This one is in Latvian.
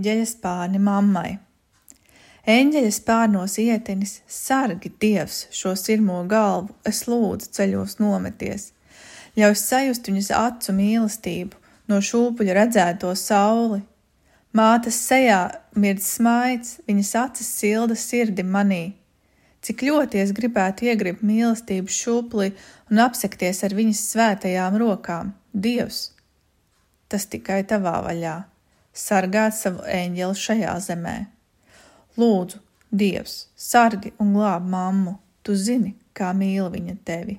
Eņģeļa spārni mammai. Eņģeļa spārnos ietinis, sargi Dievs šo sirmo galvu, es lūdzu ceļos nometies. Ļauj sajust viņas acu mīlestību, no šūpuļa redzēto sauli. Mātes sejā mirdz smaids, viņas acis silda sirdi manī. Cik ļoti es gribētu iegribt mīlestību šūpulī un apsekties ar viņas svētajām rokām. Dievs, tas tikai tavā vaļā. Sargāt savu eņģeli šajā zemē. Lūdzu, Dievs, sargi un glāb mammu, tu zini, kā mīl viņa tevi.